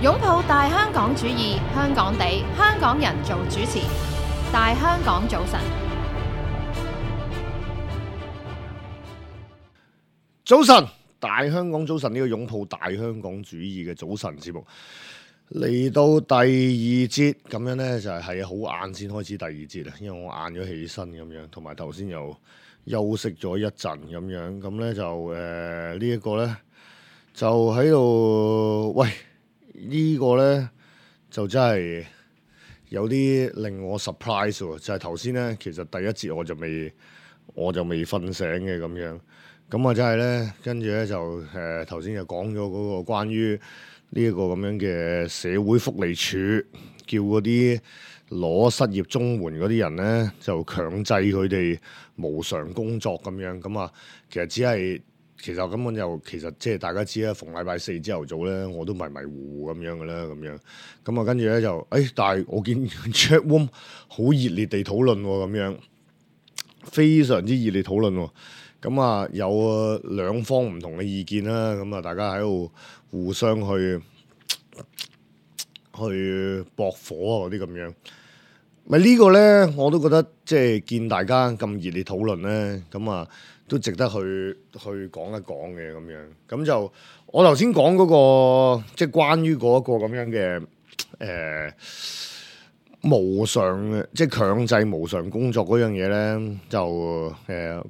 擁抱大香港主義，香港地，香港人做主持。大香港早晨，早晨，大香港早晨，呢個擁抱大香港主義嘅早晨節目嚟到第二節，咁樣呢，就係好晏先開始第二節啦，因為我晏咗起身咁樣，同埋頭先又休息咗一陣咁樣，咁呢就呢一個呢，就喺度喂。呢個呢，就真係有啲令我 surprise 喎，就係頭先呢，其實第一節我就未瞓醒嘅咁樣，咁啊真係呢，跟住呢，就頭先就講咗嗰個關於呢一個咁樣嘅社會福利署叫嗰啲攞失業綜援嗰啲人呢，就強制佢哋無償工作咁樣，咁啊其實根本其實即係大家知啦，逢禮拜四朝頭早咧，我都迷迷糊糊咁樣嘅啦，咁樣咁啊，跟住咧就但係我見 chat room 好熱烈地討論喎，咁樣非常之熱烈討論喎，咁啊有兩方唔同嘅意見啦，咁啊大家喺度互相去駁火啊嗰啲咁樣，咪呢個咧我都覺得即係見大家咁熱烈討論咧，咁啊〜都值得去講一講嘅咁樣，咁就我頭先講嗰個即係關於嗰個咁樣嘅無償即係強制無償工作嗰樣嘢咧，就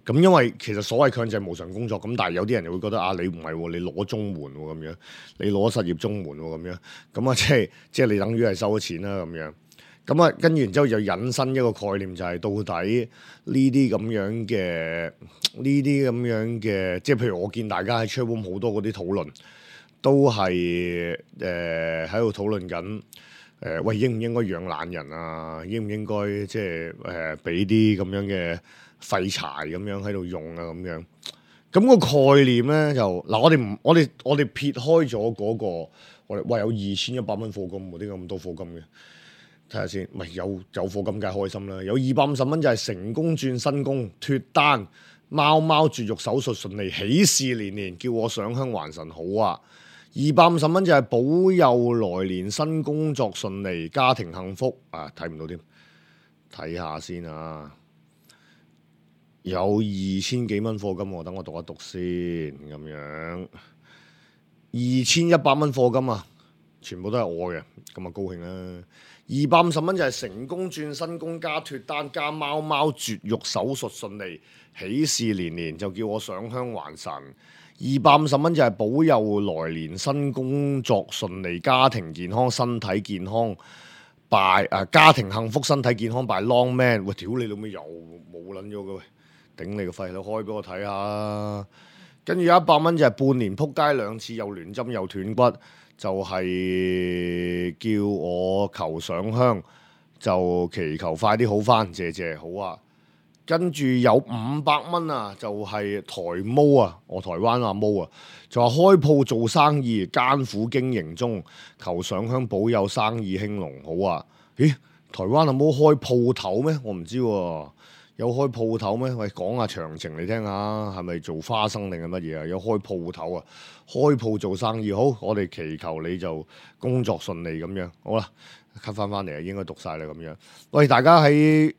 咁因為其實所謂強制無償工作咁，但係有啲人就會覺得啊，你唔係喎，你攞綜援喎咁樣，你攞失業綜援喎咁樣，咁啊即係你等於係收咗錢啦咁樣。咁啊，跟住然之後就引申一個概念，就係到底呢啲咁樣嘅，即係譬如我見大家喺 chat room 好多嗰啲討論，都係喺度討論緊，喂應唔應該養懶人啊？應唔應該即係俾啲咁樣嘅廢柴咁樣喺度用啊？咁樣咁個概念咧就嗱，我哋撇開咗嗰個，我哋喂有2100蚊課金喎，點解咁多課金嘅？睇下先，唔係有課金梗係開心啦！有250蚊就係成功轉新工脫單，貓貓絕育手術順利，喜事連連，叫我上香還神好啊！250蚊就係保佑來年新工作順利，家庭幸福啊！睇唔到添，睇下先啊！有2000幾蚊課金喎，等我讀一讀先咁樣，2100蚊課金啊！全部都係我嘅，咁啊高興啦！250蚊就係成功轉新工加脫單加貓貓絕育手術順利，喜事連連，就叫我上香還神。250蚊就係保佑來年新工作順利，家庭健康身體健康家庭幸福身體健康 by long man。喂，屌你老味又冇撚咗嘅喂，頂你個肺，你開俾我睇下。跟住有100蚊就係半年撲街2次，又亂針又斷骨。就係叫我求上香，就祈求快啲好返，謝謝好啊。跟住有500蚊啊，就係台毛啊，我台灣阿毛啊，就話開鋪做生意艱苦經營中，求上香保佑生意興隆好啊。咦，台灣阿毛開鋪頭咩？我唔知喎。有開鋪頭咩？喂，講下詳情嚟聽下，係咪做花生定係乜嘢啊？有開鋪頭啊，開鋪做生意好，我哋祈求你就工作順利咁樣。好啦，cut 翻嚟啊，應該讀晒啦咁樣。喂，大家喺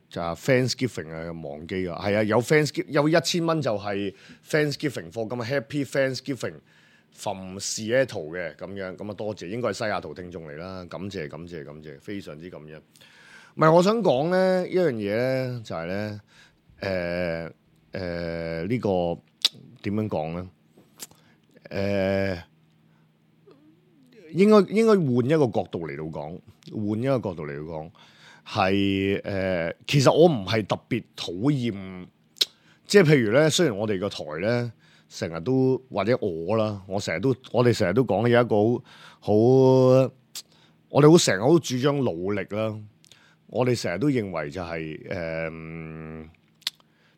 就 Thanksgiving 啊，忘記啊，係啊，有 Thanksgiving 有1000蚊就係 Thanksgiving 課金啊 ，Happy Thanksgiving from Seattle 嘅咁樣，咁啊多謝，應該係西雅圖聽眾嚟啦，感謝，非常之感恩。唔係，我想講咧一樣嘢咧，就係咧，呢個點樣講咧？應該換一個角度嚟到講，係其實我唔係特別討厭，即係譬如咧，雖然我哋個台咧成日都或者我哋成日都講有一個好，我哋成日好主張努力啦。我哋成日都認為就係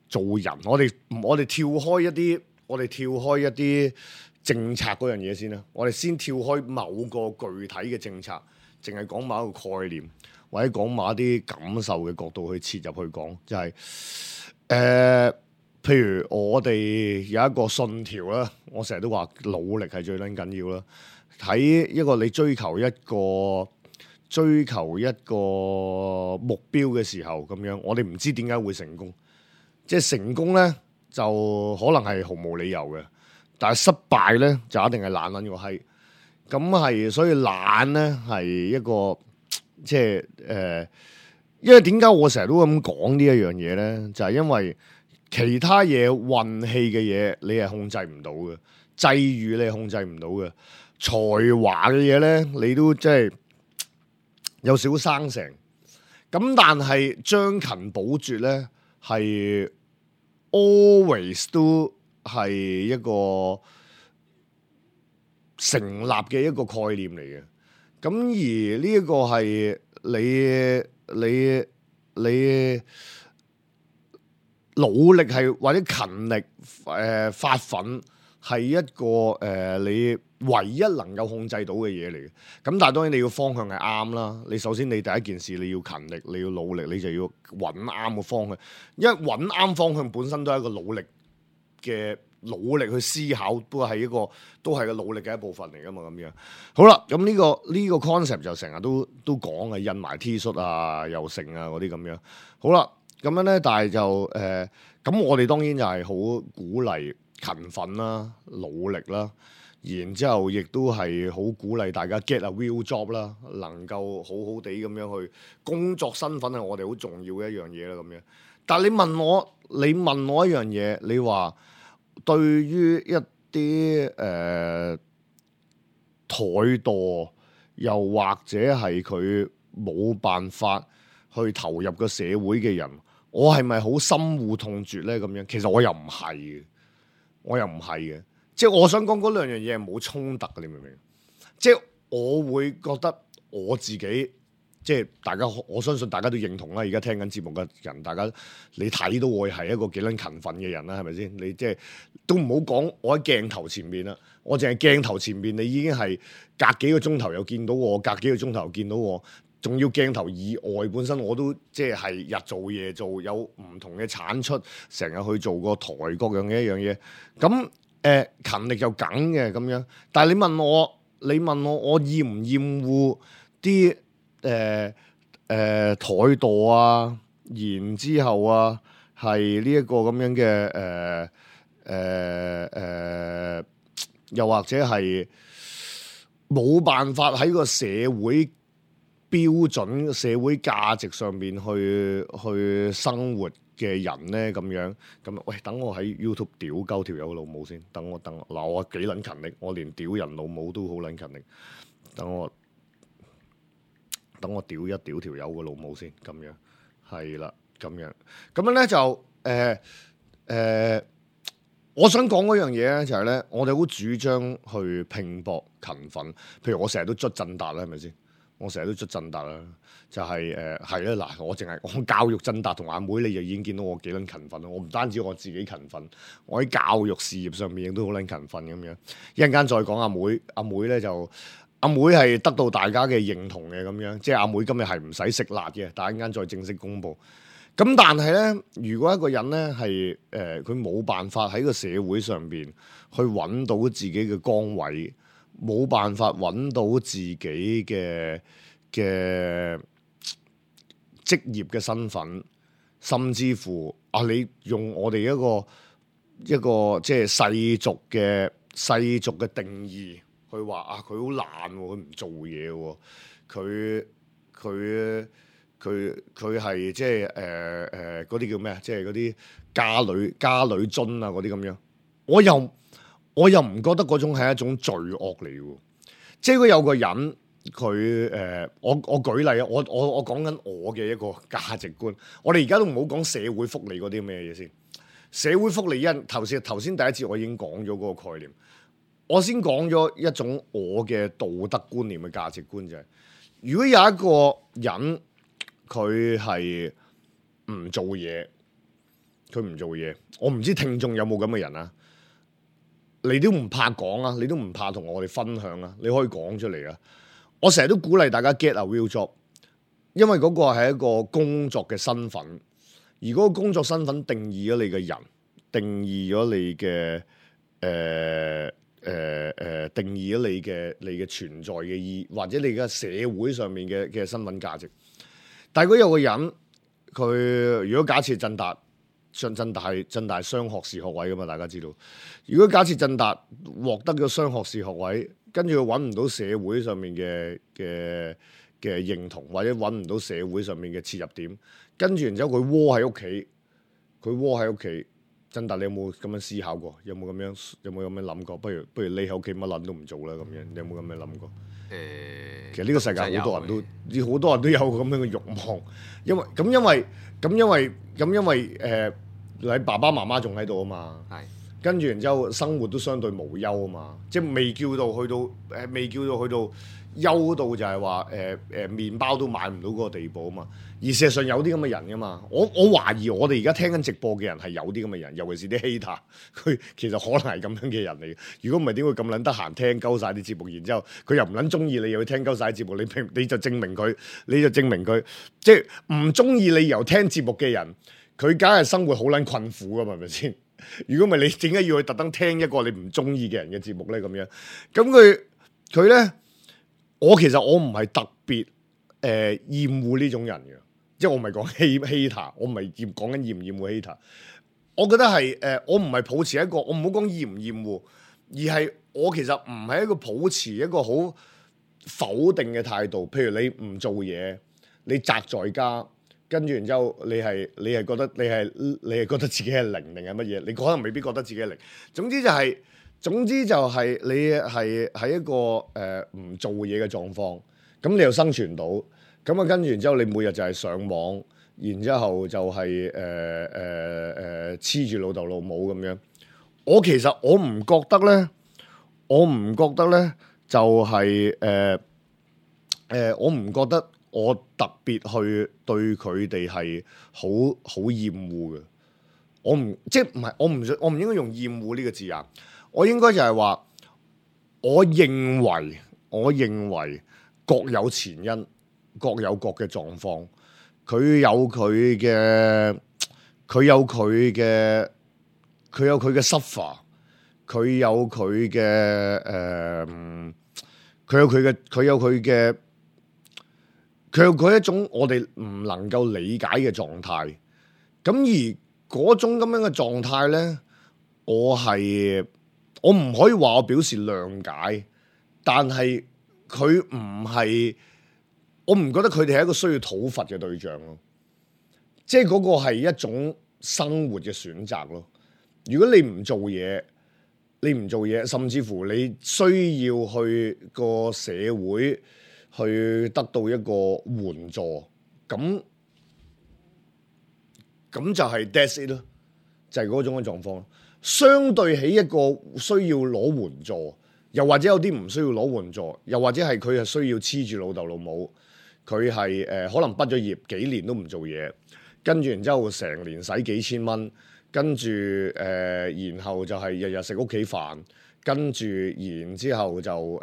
做人，我哋跳開一啲政策嗰樣嘢先啦。我哋先跳開某個具體嘅政策，淨係講某一個概念，或者講某一啲感受嘅角度去切入去講，就係譬如我哋有一個信條啦，我成日都話努力係最撚緊要啦。喺一個你追求一個目標嘅時候咁樣，我哋唔知點解會成功。即係成功咧，就可能係毫無理由嘅，但係失敗咧就一定係懶撚個閪。咁係，所以懶咧係一個即係因為點解我成日都咁講呢一樣嘢咧？就係因為其他嘢運氣嘅嘢你係控制唔到嘅，際遇你係控制唔到嘅，才華嘅嘢咧你都即係有少生成。咁但係將勤補拙咧係 always 都係一個成立嘅一個概念嚟嘅。咁而呢一個係你努力係或者勤力發奮係一個你唯一能夠控制到嘅嘢嚟嘅。咁但係當然你要方向係啱啦。你首先你第一件事你要勤力，你要努力，你就要揾啱個方向。因為揾啱方向本身都係一個努力去思考，都係個努力嘅一部分嚟噶嘛。咁樣好啦，咁呢個 concept 就成日都講嘅，印埋 T 恤啊、又成啊嗰啲咁樣。好啦，咁樣咧，但係就咁我哋當然就係好鼓勵勤奮啦、努力啦，然之後亦都係好鼓勵大家 get a real job 啦，能夠好好地咁樣去工作身份係我哋好重要嘅一樣嘢啦。咁樣，但係你問我一樣嘢，你話對於一啲怠惰，又或者係佢冇辦法去投入個社會嘅人，我係咪好深惡痛絕咧？咁樣其實我又唔係嘅，即係我想講嗰兩樣嘢係冇衝突嘅，你明唔明？即係我會覺得我自己。即係大家，我相信大家都認同啦。而家聽緊節目嘅人，大家你睇到我係一個幾撚勤奮嘅人啦，係咪先？你即係都唔好講我喺鏡頭前面啦，我淨係鏡頭前面，你已經係隔幾個鐘頭又見到我，隔幾個鐘頭又見到我，仲要鏡頭以外，本身我都即係日做夜做，有唔同嘅產出，成日去做個台各樣嘅一樣嘢。咁勤力就梗嘅咁樣，但係你問我我厭唔厭惡啲？怠惰啊，然之後啊，係呢一個咁樣嘅又或者係冇辦法喺個社會標準、社會價值上面去生活嘅人咧，咁樣咁，喂，等我喺 YouTube 屌鳩條友老母先，等我嗱，我幾撚勤力，我連屌人老母都好撚勤力，等我屌一屌條友個老母先，咁樣係啦，咁樣咧就我想講嗰樣嘢咧就係咧，我哋好主張去拼搏勤奮。譬如我成日都捽振達啦，係咪先？我成日都捽振達啦，就係係啦嗱，我教育振達同阿妹，你就已經見到我幾撚勤奮啦。我唔單止我自己勤奮，我喺教育事業上面亦都好撚勤奮咁樣。一陣間再講阿妹咧就。阿妹係得到大家嘅認同嘅咁樣，即係阿妹今日係唔使食辣嘅，但係一陣間再正式公佈。咁但係咧，如果一個人咧係佢冇辦法喺個社會上邊去揾到自己嘅崗位，冇辦法揾到自己嘅職業嘅身份，甚至乎你用我哋一個即係世俗嘅定義。佢話佢好懶喎，佢唔做嘢喎，佢係即係嗰啲叫咩啊？即係嗰啲家裏津啊嗰啲咁樣，我又唔覺得嗰種係一種罪惡嚟嘅。即係如果有個人佢我舉例啊，我講緊我嘅一個價值觀。我哋而家都唔好講社會福利嗰啲咩嘢先。社會福利頭先第一節我已經講咗嗰個概念。我先講咗一種我嘅道德觀念嘅價值觀就係，如果有一個人佢係唔做嘢，我唔知聽眾有冇咁嘅人啊？你都唔怕講啊？你都唔怕同我哋分享啊？你可以講出嚟啊！我成日都鼓勵大家 get a real job， 因為嗰個係一個工作嘅身份，而嗰個工作身份定義咗你嘅人，定義咗你嘅定義咗你嘅存在嘅意義，或者你嘅社會上面嘅身份價值。但係如果有個人，佢如果假設振達雙學士學位噶嘛，大家知道。如果假設振達獲得咗雙學士學位，跟住佢揾唔到社會上面嘅認同，或者揾唔到社會上面嘅切入點，跟住然之後佢窩喺屋企。振達，你有冇咁樣思考過？有冇咁樣諗過？不如匿喺屋企乜撚都唔做啦咁樣。你有冇咁樣諗過？其實呢個世界好多人都有咁樣嘅慾望，因為你爸爸媽媽仲喺度啊嘛，跟住然之後生活都相對無憂啊嘛，即係未叫到去到憂到就係話麵包都買唔到嗰個地步啊嘛。而事實上有啲咁嘅人噶嘛，我懷疑我哋而家聽緊直播嘅人係有啲咁嘅人，尤其是啲 hater， 佢其實可能係咁樣嘅人嚟嘅。如果唔係點會咁撚得閒聽鳩晒啲節目，然之後佢又唔撚中意你，又去聽鳩晒啲節目，你就證明佢即係唔中意你由聽節目嘅人，佢梗係生活好撚困苦噶嘛，係咪先？如果唔係你點解要去特登聽一個你唔中意嘅人嘅節目咧？咁樣咁佢咧，其實我唔係特別厭惡呢種人嘅。即係我唔係講 hater， 我唔係講緊厭唔厭惡 hater。我覺得係我唔係抱持一個，我唔好講厭唔厭惡，而係我其實唔係一個抱持一個好否定嘅態度。譬如你唔做嘢，你宅在家，跟住然之後你係覺得你係覺得自己係零定係乜嘢？你可能未必覺得自己係零。總之就係你係喺一個唔做嘢嘅狀況，咁你又生存到。咁啊，跟住然之後，你每日就係上網，然之後就係黐住老豆老母咁樣。我其實我唔覺得咧，就係我唔覺得我特別去對佢哋係好厭惡嘅。我唔應該用厭惡呢個字眼，我應該就係話，我認為各有前因。各有各嘅狀況，佢有佢嘅 suffer， 佢有佢一種我哋唔能夠理解嘅狀態。咁而嗰種咁樣嘅狀態咧，我唔可以話我表示諒解，但係佢唔係。我唔覺得佢哋係一個需要討伐嘅對象咯，即係嗰個係一種生活嘅選擇咯。如果你唔做嘢，甚至乎你需要去個社會去得到一個援助，咁就係 that's it 咯，就係嗰種嘅狀況。相對起一個需要攞援助，又或者有啲唔需要攞援助，又或者係佢係需要黐住老豆老母。佢係可能畢咗業幾年都唔做嘢，跟住然之後成年使幾千蚊，跟住然後就係日日食屋企飯，跟住然之後就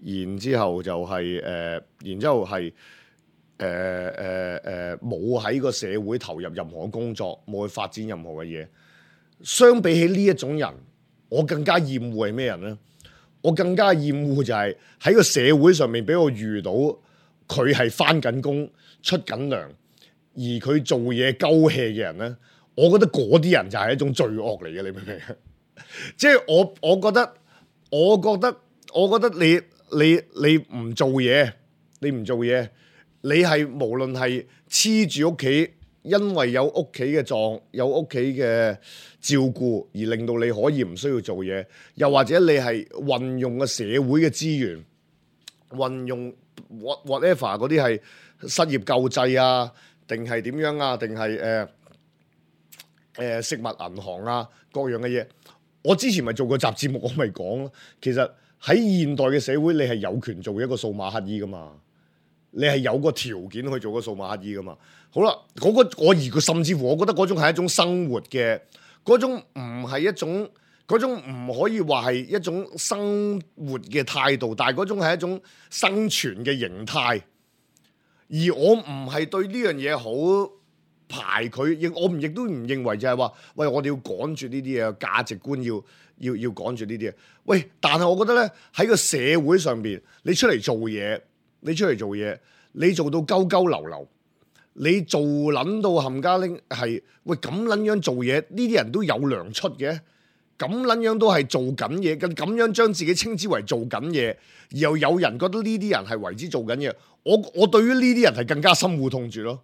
然之後就係冇喺個社會投入任何工作，冇去發展任何嘅嘢。相比起呢一種人，我更加厭惡係咩人咧？我更加厭惡就係喺個社會上面俾我遇到佢係返緊工出緊糧，而佢做嘢鳩氣嘅人咧，我覺得嗰啲人就係一種罪惡嚟嘅，你明唔明？即係我覺得你唔做嘢，你係無論係黐住屋企。因為有屋企嘅照顧而令到你可以唔需要做嘢，又或者你係運用個社會嘅資源，運用 whatever 嗰啲係失業救濟啊，定係點樣啊，定係食物銀行啊各樣嘅嘢。我之前咪做過集節目，我咪講咯。其實喺現代嘅社會，你係有權做一個數碼乞衣噶嘛。你係有個條件去做個數碼乞衣噶嘛？好啦，甚至乎我覺得嗰種係一種生活嘅，嗰種唔係一種，嗰種唔可以話係一種生活嘅態度，但係嗰種係一種生存嘅形態。而我唔係對呢樣嘢好排佢，亦都唔認為就係話，喂，我哋要趕住呢啲嘢，價值觀要趕住呢啲嘢。喂，但係我覺得咧，喺個社會上邊，你出嚟做嘢，你做到鳩鳩流流，你做撚到冚家拎係，喂咁撚樣做嘢，呢啲人都有糧出嘅，咁撚樣都係做緊嘢，咁樣將自己稱之為做緊嘢，而又有人覺得呢啲人係為之做緊嘢，我對於呢啲人係更加深惡痛絕咯。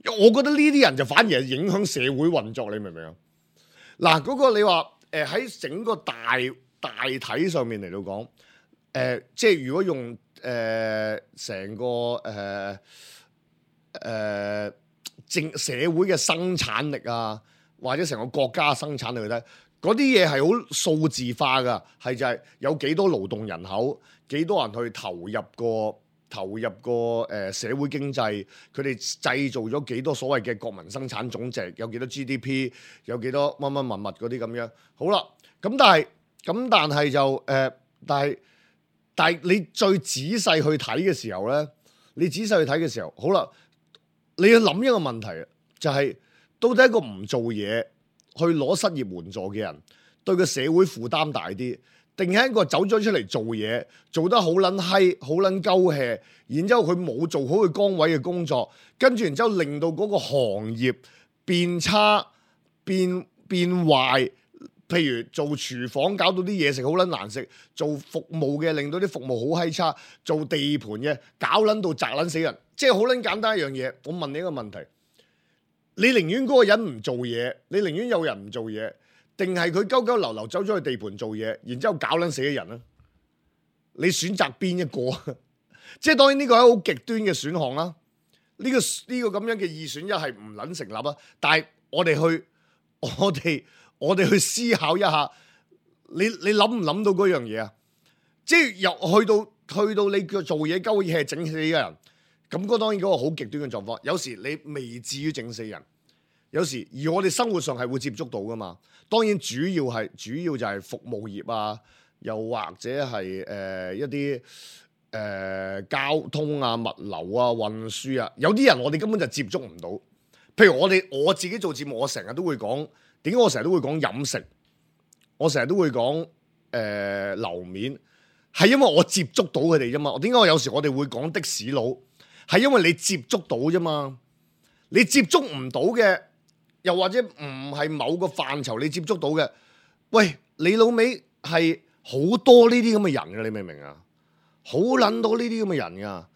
我覺得呢啲人就反而係影響社會運作，你明唔明啊？嗱，嗰個你話喺整個大體上面嚟到講，即係如果用成個社會嘅生產力啊，或者成個國家嘅生產力去睇，嗰啲嘢係好數字化噶，係就係有幾多勞動人口，幾多人去投入個社會經濟，佢哋製造咗幾多所謂嘅國民生產總值，有幾多 GDP， 有幾多乜乜物嗰啲咁樣。好啦，咁但係就但係你最仔細去睇嘅時候咧，好啦，你要諗一個問題，就係到底一個唔做嘢去攞失業援助嘅人，對個社會負擔大啲，定係一個走咗出嚟做嘢，做得好撚閪，好撚鳩氣，然之後佢冇做好佢崗位嘅工作，跟住然之後令到嗰個行業變差、變壞。譬如做廚房搞到啲嘢食好撚難食，做服務嘅令到啲服務好閪差，做地盤嘅搞撚到砸撚死人，即係好撚簡單一樣嘢。我問你一個問題，你寧願嗰個人唔做嘢，你寧願有人唔做嘢，定係佢鳩鳩流流走咗去地盤做嘢，然之後搞撚死啲人咧？你選擇邊一個？即係當然呢個係好極端嘅選項啦。呢個咁樣嘅二選一係唔撚成立啊！但係我哋去思考一下，你諗唔諗到嗰樣嘢啊？即係又去到你叫做嘢鳩嘢係整死嘅人，咁嗰當然嗰個好極端嘅狀況。有時你未至於整死人，有時而我哋生活上係會接觸到噶嘛。當然主要就係服務業啊，又或者係一啲交通啊、物流啊、運輸啊，有啲人我哋根本就接觸唔到。譬如我自己做節目，我成日都會講。點解我成日都會講飲食？我成日都會講樓面，係因為我接觸到佢哋啫嘛。點解我有時我哋會講的士佬？係因為你接觸到啫嘛。你接觸唔到嘅，又或者唔係某個範疇你接觸到嘅，喂，你老味係好多呢啲咁嘅人嘅，你明唔明啊？好撚多呢啲咁嘅人噶。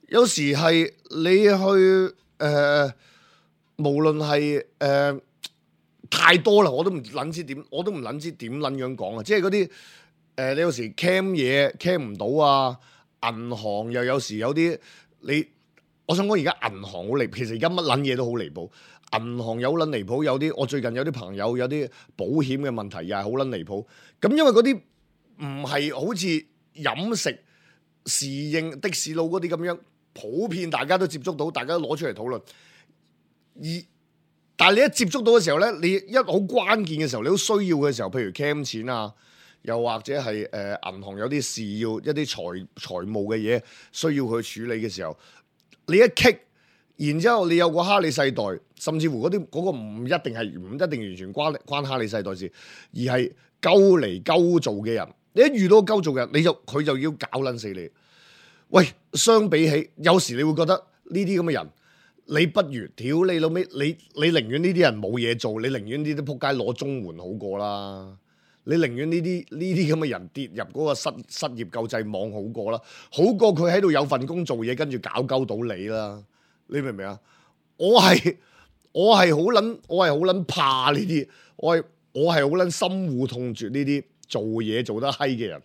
有時係你去無論係太多啦，我都唔撚知點撚樣講啊！即係嗰啲你有時 cam 嘢 cam 唔到啊，銀行又有時有啲我想講而家銀行好離譜，其實而家乜撚嘢都好離譜。銀行有撚離譜，我最近有啲朋友有啲保險嘅問題又係好撚離譜。咁因為嗰啲唔係好似飲食、侍應、的士佬嗰啲咁樣普遍，大家都接觸到，大家都攞出嚟討論。但係你一接觸到嘅時候咧，你一好關鍵嘅時候，你好需要嘅時候，譬如 cam 錢啊，又或者係銀行有啲事要一啲財務嘅嘢需要去處理嘅時候，你一棘，然之後你有個哈利世代，甚至乎嗰個唔一定完全關哈利世代事，而係鳩嚟鳩做嘅人，你一遇到鳩做嘅人，佢就要搞撚死你。喂，相比起有時你會覺得呢啲咁嘅人。你不如屌你老味，你寧願呢啲人冇嘢做，你寧願呢啲仆街攞綜援好過啦。你寧願呢啲咁嘅人跌入嗰個失業救濟網好過啦，好過佢喺度有份工做嘢，跟住搞鳩到你啦。你明唔明啊？我係好撚怕呢啲，我係好撚深惡痛絕呢啲做嘢做得閪嘅人，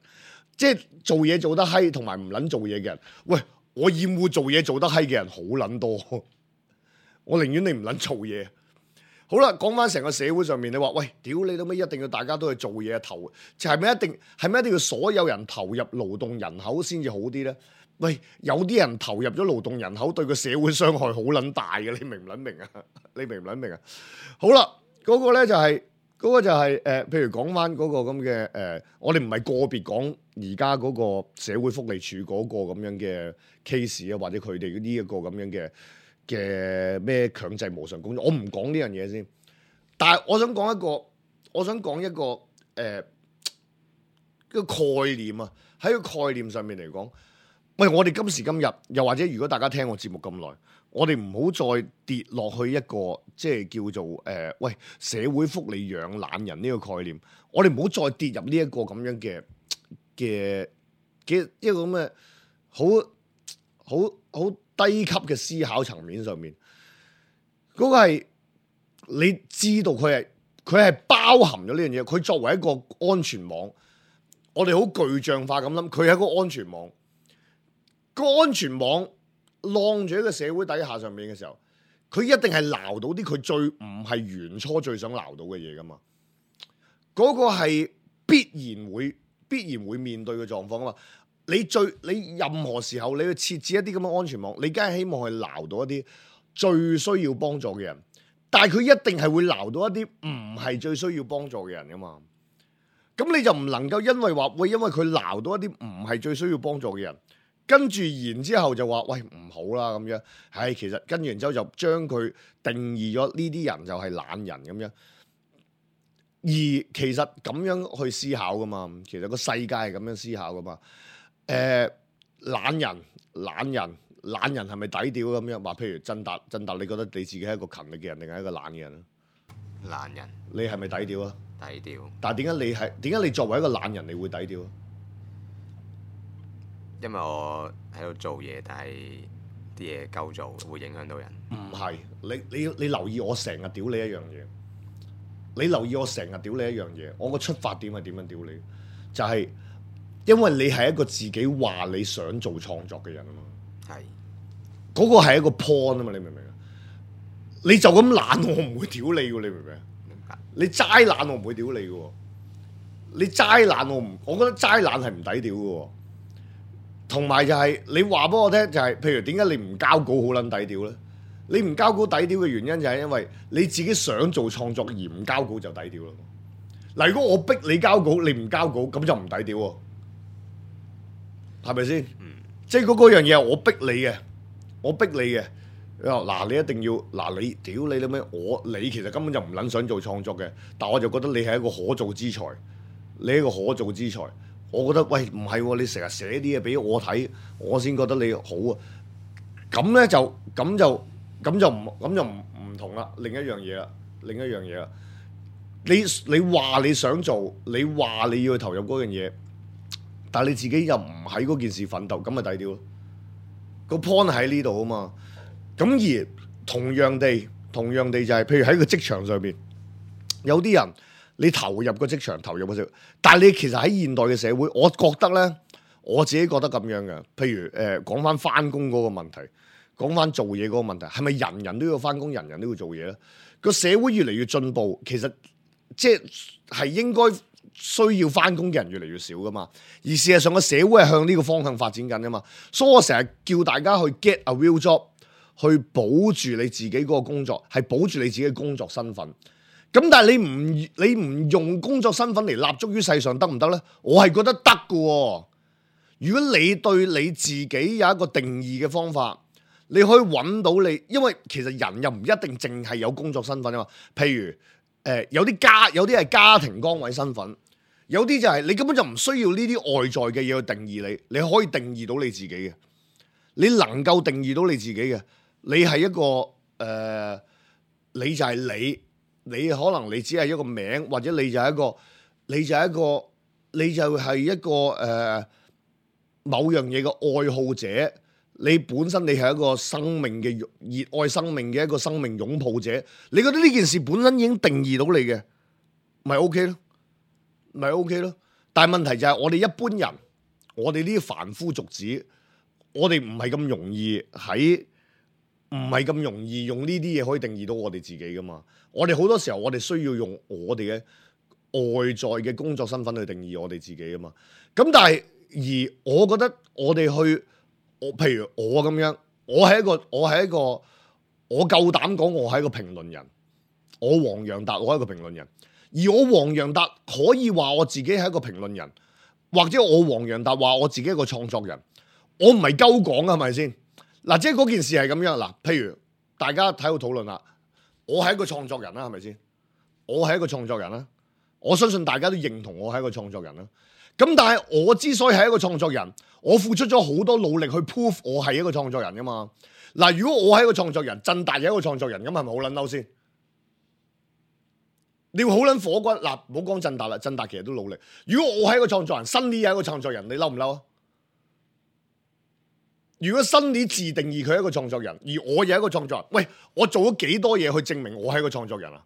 即係做嘢做得閪同埋唔撚做嘢嘅人。喂，我厭惡做嘢做得閪嘅人好撚多。我寧願你唔撚做嘢。好啦，講翻成個社會上面，你話喂，屌你老味，一定要大家都去做嘢投，就係咪一定要所有人投入勞動人口先至好啲咧？喂，有啲人投入咗勞動人口，對個社會傷害好撚大嘅，你明唔撚明啊？你明唔撚明啊？好啦，嗰個咧就係譬如講翻嗰個咁嘅我哋唔係個別講而家嗰個社會福利署嗰個咁樣嘅 case 啊，或者佢哋呢一個咁樣嘅咩強制無償工作，我唔講呢樣嘢先。但係我想講一個個概念啊，喺個概念上面嚟講，喂，我哋今時今日，又或者如果大家聽我節目咁耐，我哋唔好再跌落去一個即係叫做喂社會福利養懶人呢個概念，我哋唔好再跌入呢一個咁樣嘅一個咁嘅好低級嘅思考層面上面，嗰個係你知道佢係包含咗呢樣嘢，佢作為一個安全網，我哋好具象化咁諗，佢係一個安全網。個安全網晾住喺個社會底下上面嘅時候，佢一定係撈到啲佢最唔係原初最想撈到嘅嘢噶嘛。嗰個係必然會面對嘅狀況啊嘛。你任何時候你去設置一啲咁嘅安全網，你梗係希望去撈到一啲最需要幫助嘅人，但係佢一定係會撈到一啲唔係最需要幫助嘅人噶嘛。咁你就唔能夠因為佢撈到一啲唔係最需要幫助嘅人，跟住然之後就話喂唔好啦咁樣，係其實跟完之後就將佢定義咗呢啲人就係懶人咁樣，而其實咁樣去思考噶嘛，其實個世界係咁樣思考噶嘛。懶人係咪抵屌咁樣？話譬如振達，你覺得你自己係一個勤力嘅人定係一個懶嘅人啊？懶人，你係咪抵屌啊？低調。但係點解你作為一個懶人，你會抵屌啊？因為我喺度做嘢，但係啲嘢夠做，會影響到人。唔係，你留意我成日屌你一樣嘢。我個出發點係點樣屌你？就係因為你係一個自己話你想做創作嘅人啊嘛。係。嗰個係一個 point 啊嘛，你明唔明啊？你就咁懶，我唔會屌你喎，你明唔明啊？明白。你齋懶，我唔會屌你嘅喎。你齋懶，我覺得齋懶係唔抵屌嘅喎。同埋就係你話俾我聽，就係譬如點解你唔交稿好撚抵屌咧？你唔交稿抵屌嘅原因就係因為你自己想做創作而唔交稿就抵屌咯。嗱，如果我逼你交稿，你唔交稿，咁就唔抵屌喎，係咪先？即係嗰樣嘢係我逼你嘅。嗱，你一定要嗱，你屌你啦咩？你其實根本就唔撚想做創作嘅，但我就覺得你係一個可造之才，我覺得喂唔係喎，你成日寫啲嘢俾我睇，我先覺得你好啊。咁咧就唔同啦。另一樣嘢啦，你話你想做，你話你要去投入嗰樣嘢，但係你自己又唔喺嗰件事奮鬥，咁咪抵屌咯。個 point 喺呢度啊嘛。咁而同樣地就係，譬如喺個職場上邊，有啲人你投入個職場，但係你其實喺現代嘅社會，我覺得咧，我自己覺得咁樣嘅。譬如講翻返工嗰個問題，講翻做嘢嗰個問題，係咪人人都要返工，人人都要做嘢咧？個社會越嚟越進步，其實即係應該需要返工嘅人越嚟越少噶嘛。而事實上個社會係向呢個方向發展緊噶嘛。所以我成日叫大家去 get a real job。去保住你自己嗰個工作，係保住你自己嘅工作身份。咁但係你唔用工作身份嚟立足於世上得唔得呢？我係覺得得㗎。如果你對你自己有一個定義嘅方法，你可以揾到你，因為其實人又唔一定淨係有工作身份啊嘛。譬如有啲係家庭崗位身份，有啲就係你根本就唔需要呢啲外在嘅嘢去定義你，你可以定義到你自己嘅，你能夠定義到你自己嘅。你係一個你就係你可能你只係一個名，或者你就係一個某樣嘢嘅愛好者。你本身你係一個生命嘅熱愛生命嘅一個生命擁抱者。你覺得呢件事本身已經定義到你嘅，咪 OK 咯？但係問題就係我哋一般人，我哋呢啲凡夫俗子，我哋唔係咁容易用呢啲嘢可以定義到我哋自己噶嘛。我哋好多時候我哋需要用我哋嘅外在嘅工作身份去定義我哋自己噶嘛。咁但係而我覺得我哋譬如我咁樣，我夠膽講我係一個評論人。我黃洋達，我係一個評論人。而我黃洋達可以話我自己係一個評論人，或者我黃洋達話我自己係一個創作人。我唔係鳩講啊，係咪先？嗱，即係嗰件事係咁樣嗱，譬如大家喺度討論啦。我係一個創作人啦，係咪先？我係一個創作人啦，我相信大家都認同我係一個創作人啦。咁但係我之所以係一個創作人，我付出咗好多努力去 prove 我係一個創作人噶嘛。嗱，如果我係一個創作人，振達係一個創作人，咁係咪好撚嬲先？你會好撚火滾嗱，唔好講振達啦，振達其實都努力。如果我係一個創作人，Sunny係一個創作人，你嬲唔嬲啊？如果Sunny自定義佢係一個創作人，而我又係一個創作人，喂，我做咗幾多嘢去證明我係一個創作人啊？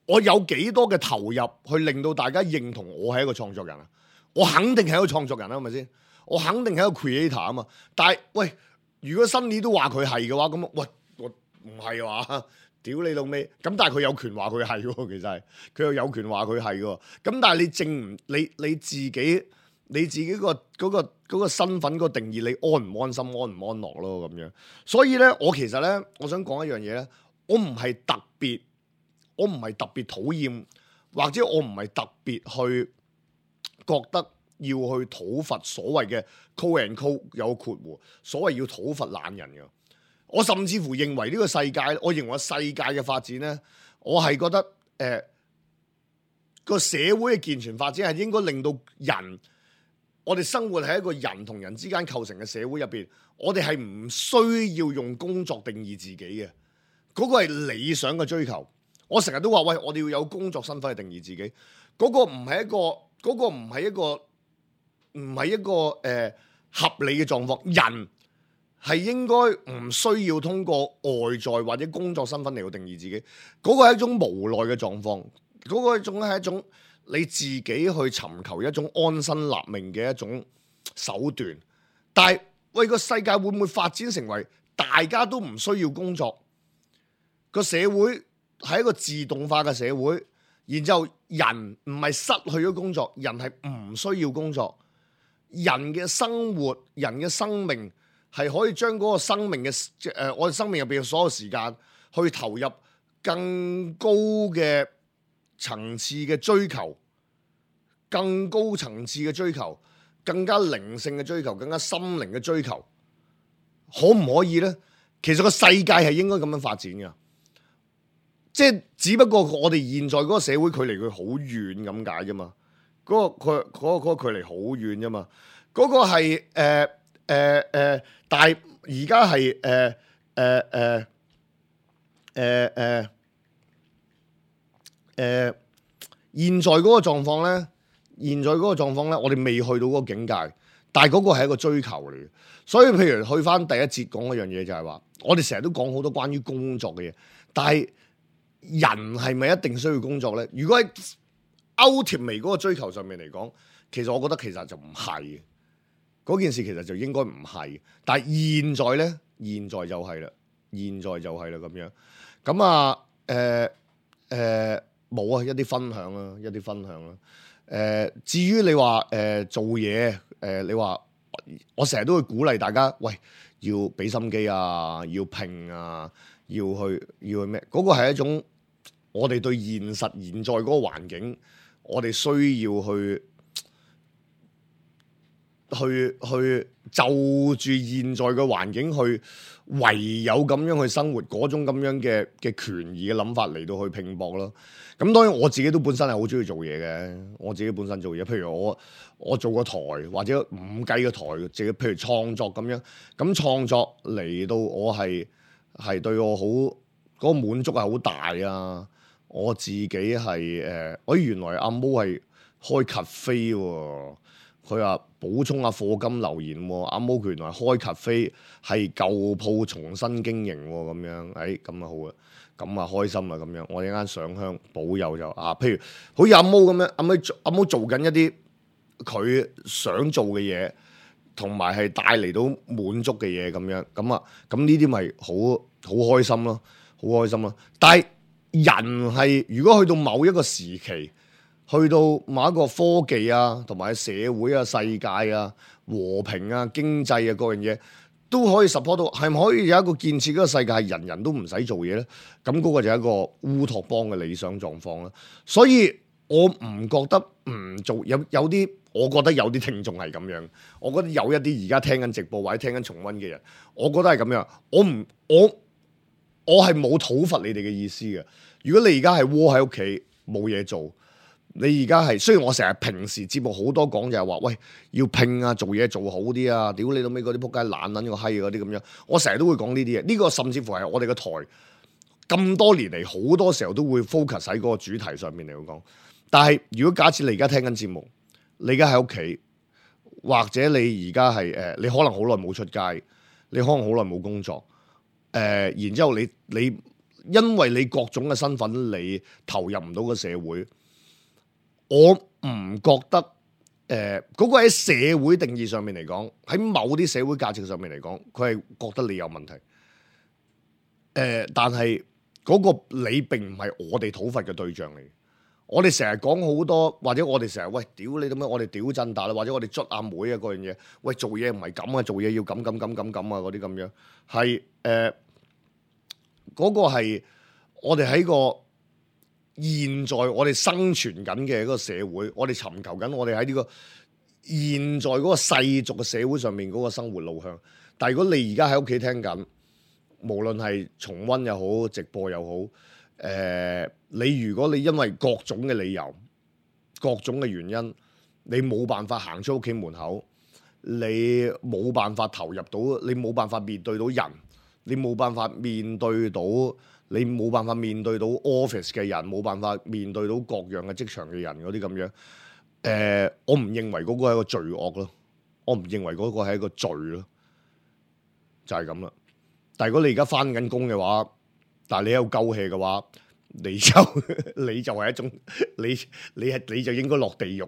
我有幾多嘅投入去令到大家認同我係一個創作人啊？我肯定係一個創作人啦，係咪先？我肯定係一個 creator 啊嘛。但係喂，如果Sunny都話佢係嘅話，咁喂，我唔係話屌你老味。咁但係佢有權話佢係喎，其實係佢又有權話佢係喎。咁但係你證唔你自己個嗰個身份個定義，你安唔安心、安唔安樂咯咁樣。所以咧，我其實咧，我想講一樣嘢咧，我唔係特別討厭，或者我唔係特別去覺得要去討伐所謂嘅 call and call 有括弧，所謂要討伐懶人嘅。我甚至乎認為呢個世界，我認為世界嘅發展咧，我係覺得個社會嘅健全發展係應該令到人，我哋生活喺一個人同人之間構成嘅社會入邊，我哋係唔需要用工作定義自己嘅，嗰個係理想嘅追求。我成日都話喂，我哋要有工作身份去定義自己，嗰個唔係一個合理嘅狀況。人係應該唔需要通過外在或者工作身份嚟到定義自己，嗰個係一種無奈嘅狀況，嗰個係一種你自己去尋求一種安身立命嘅一種手段。但係喂，個世界會唔會發展成為大家都唔需要工作？個社會係一個自動化嘅社會，然之後人唔係失去咗工作，人係唔需要工作。人嘅生活、人嘅生命係可以將嗰個生命嘅我哋生命入邊嘅所有時間去投入更高嘅層次嘅追求，更高層次嘅追求，更加靈性嘅追求，更加心靈嘅追求，可唔可以呢？其實個世界係應該咁樣發展嘅。即係只不過我哋現在嗰個社會距離佢好遠咁解啫嘛，嗰個距離好遠啫嘛，嗰個係但係而家係現在嗰個狀況咧，我哋未去到嗰個境界，但係嗰個係一個追求嚟嘅。所以譬如去翻第一節講嗰樣嘢就係話，我哋成日都講好多關於工作嘅嘢，但係人係咪一定需要工作咧？如果喺ultimate嗰個追求上面嚟講，其實我覺得其實就唔係嘅。嗰件事其實就應該唔係。但係現在咧，現在就係啦咁樣。咁啊冇啊，一啲分享啦，至於你話做嘢，你話我成日都會鼓勵大家，喂，要俾心機啊，要拼啊，要去咩？嗰個係一種我哋對現在嗰個環境，我哋需要去就住現在嘅環境去，唯有咁樣去生活，嗰種咁樣嘅權宜嘅諗法嚟到去拼搏咯。咁當然我自己都本身係好中意做嘢嘅，我自己本身做嘢，譬如我做個台或者唔計個台，自己譬如創作咁樣，咁創作嚟到我係對我好嗰個滿足係好大啊！我自己係原來阿毛係開 cafe 喎，佢話補充下課金留言喎，阿毛原來開 cafe 係舊鋪重新經營喎，咁樣咁啊好啊！咁啊開心啦咁樣，我一間上香保佑就譬如好似阿毛咁樣，阿毛做緊一啲佢想做嘅嘢，同埋係帶嚟到滿足嘅嘢咁樣，咁呢啲咪好開心咯，好開心咯。但係人係如果去到某一個時期，去到某一個科技啊，同埋社會啊、世界啊、和平啊、經濟啊各樣嘢，都可以 support 到，係咪可以有一個建設嗰個世界係人人都唔使做嘢咧？咁嗰個就係一個烏托邦嘅理想狀況啦。所以我唔覺得唔做，有啲，我覺得有啲聽眾係咁樣，我覺得有一啲而家聽緊直播或者聽緊重溫嘅人，我覺得係咁樣。我係冇討伐你哋嘅意思嘅。如果你而家係窩喺屋企冇嘢做，你而家係雖然我成日平時節目好多講就係話，喂要拼啊，做嘢做好啲啊，屌你老尾嗰啲仆街懶撚個閪嗰啲咁樣，我成日都會講呢啲嘢。呢個甚至乎係我哋個台咁多年嚟好多時候都會 focus 喺嗰個主題上面嚟講。但係如果假設你而家聽緊節目，你而家喺屋企，或者你而家係你可能好耐冇出街，你可能好耐冇工作。然之後你因為你各種嘅身份，你投入唔到個社會，我唔覺得嗰個喺社會定義上面嚟講，喺某啲社會價值上面嚟講，佢係覺得你有問題。但係嗰個你並唔係我哋討伐嘅對象嚟。我哋成日講好多，或者我哋成日喂屌你咁樣，我哋屌震大啦，或者我哋捽阿妹啊嗰樣嘢，喂做嘢唔係咁啊，做嘢要咁啊嗰啲咁樣，係嗰個係我哋喺個現在我哋生存緊嘅一個社會，我哋尋求緊我哋喺呢個現在嗰個世俗嘅社會上面嗰個生活路向。但係如果你而家喺屋企聽緊，無論係重溫又好，直播又好。你如果你因為各種嘅理由、各種嘅原因，你冇辦法行出屋企門口，你冇辦法投入到，你冇辦法面對到人，你冇辦法面對到，你冇辦法面對到 office 嘅人，冇辦法面對到各樣嘅職場嘅人嗰啲咁樣，我唔認為嗰個係一個罪惡咯，我唔認為嗰個係一個罪咯，就係咁啦。但係如果你而家返緊工嘅話，但係你有鳩氣嘅話，你就係一種你就應該落地獄。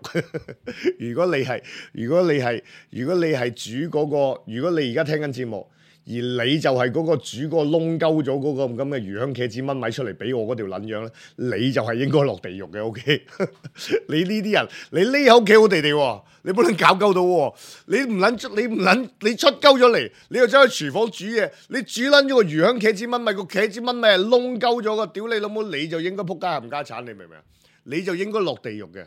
如果你係煮嗰個，如果你而家聽緊節目，而你就係嗰個煮嗰個窿鳩咗嗰個咁嘅魚香茄子炆米出嚟俾我嗰條撚樣咧，你就係應該落地獄嘅。OK， 你呢啲人，你匿喺屋企好地地喎，你不能搞鳩到喎，你出鳩咗嚟，你又走去廚房煮嘢，你煮撚咗個魚香茄子炆米，個茄子炆米係窿鳩咗個，屌你老母，你就應該仆街冚家產，你明唔明啊？你就應該落地獄嘅，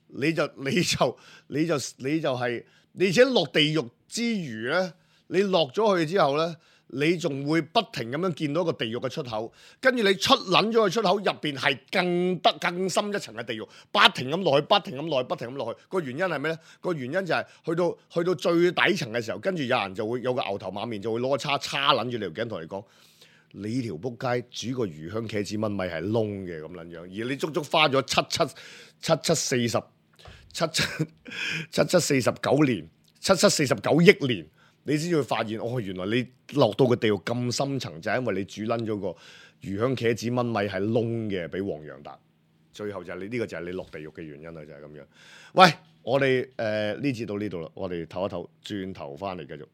你就係，而且落地獄之餘咧。你落咗去之後咧，你仲會不停咁樣見到一個地獄嘅出口，跟住你出撚咗個出口入邊係更深一層嘅地獄，不停咁落去，不停咁落去。個原因係咩咧？個原因就係去到最底層嘅時候，跟住有人就會有個牛頭馬面就會攞個叉撚住你條頸同你講：你條仆街煮個魚香茄子炆米係燶嘅咁撚樣，而你足足花咗49億年。你先會發現，原來你落到個地獄咁深層，就係因為你煮撚咗個魚香茄子炆米係燶嘅，俾黃洋達。最後就係呢個就係你落地獄嘅原因啦，就係咁樣。喂，我哋呢節到呢度啦，我哋唞一唞，轉頭翻嚟繼續。